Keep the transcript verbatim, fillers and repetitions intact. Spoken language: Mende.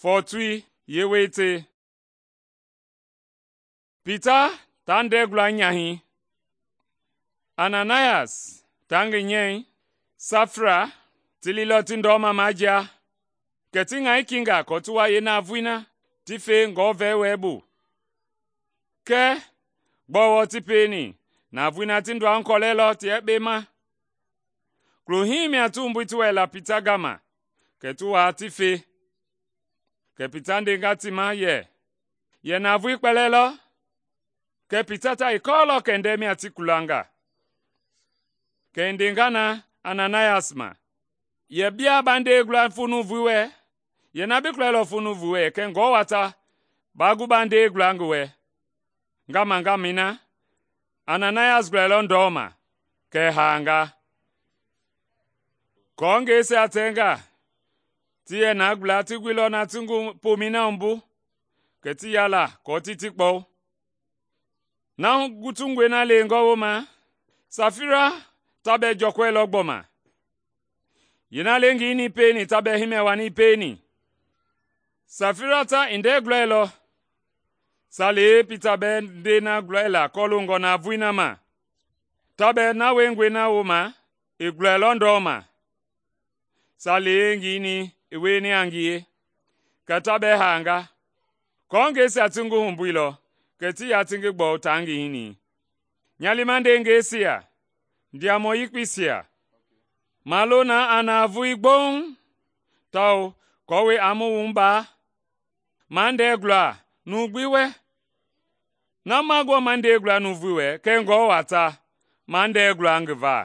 Fɔɔtoi yeewete. Pita taa ndɛɛgula nyahɛi, Ananias taa ngi nyɛi, Safira ti liilɔ ti ndɔma majia, kɛ ti ŋaoi kinga aako ti wa yeenavoei na ti fe Ngewɔ wɛi bu. Kɛɛ gbɔɔ wɔɔ ti pieni? Navoei na ti ndɔahu kɔlɛilɔ ti yekpe ma. Kulo hii mia ti wumbui ti wɛila Pita gama, kɛ ti waa ti fe. Kɛ Pita ndenga ti ma yɛ, “Yɛ navoei kpɛlɛɛ lɔ?” Kɛ Pita ta i kɔɔlɔ kɛndɛi mia ti kulanga. Kɛ i ndenga na Ananias ma, “Yɛ bia ba nde gula fo nuuvui wɛ? Yɛ na bi kɔɛilɔ fo nuuvui wɛ kɛ Ngewɔ wata ba gu ba nde gula ngi wɛ.” Ngama-ngamɛi na, Ananias gulɛilɔ ndɔma, kɛ i haanga. Kɔɔngɛisia tɛnga ti yɛ na gula ti guilɔ na ti ngi pomɛi na wumbu, kɛ ti yala aako ti ti kpɔwu. Na gutungɔe na leengɔ wooma, Safira ta bɛɛ jɔkɔɛilɔ gbɔma. Yeena leengi nii pieni ta bɛɛ himɛ wanii pieni. Safira ta i ndɛɛ gulɛilɔ, salee Pita bɛɛ ndɛi na gulɛila kɔloongɔ navoei na ma. Ta bɛɛ na wiengɔe na wooma i gulɛilɔ ndɔma, salee ngi nii i wieni a ngie, kɛ ta bɛɛ haanga. Kɔɔngɛisia ti ngi humbuilɔ, kɛ ti ya ti ngi gbɔwu taa ngi hinii. Nya liima ndeengɛisia, ndiamɔ yekpeisia, ma lo na a navoei gboŋ, tawao aako a mu wumbaa, ma ndɛɛ gula numu gbi wɛ. Na ma gbɔ ma ndɛɛ gula nuuvui wɛ, kɛɛ Ngewɔ wata ma ndɛɛ gula ngi va.”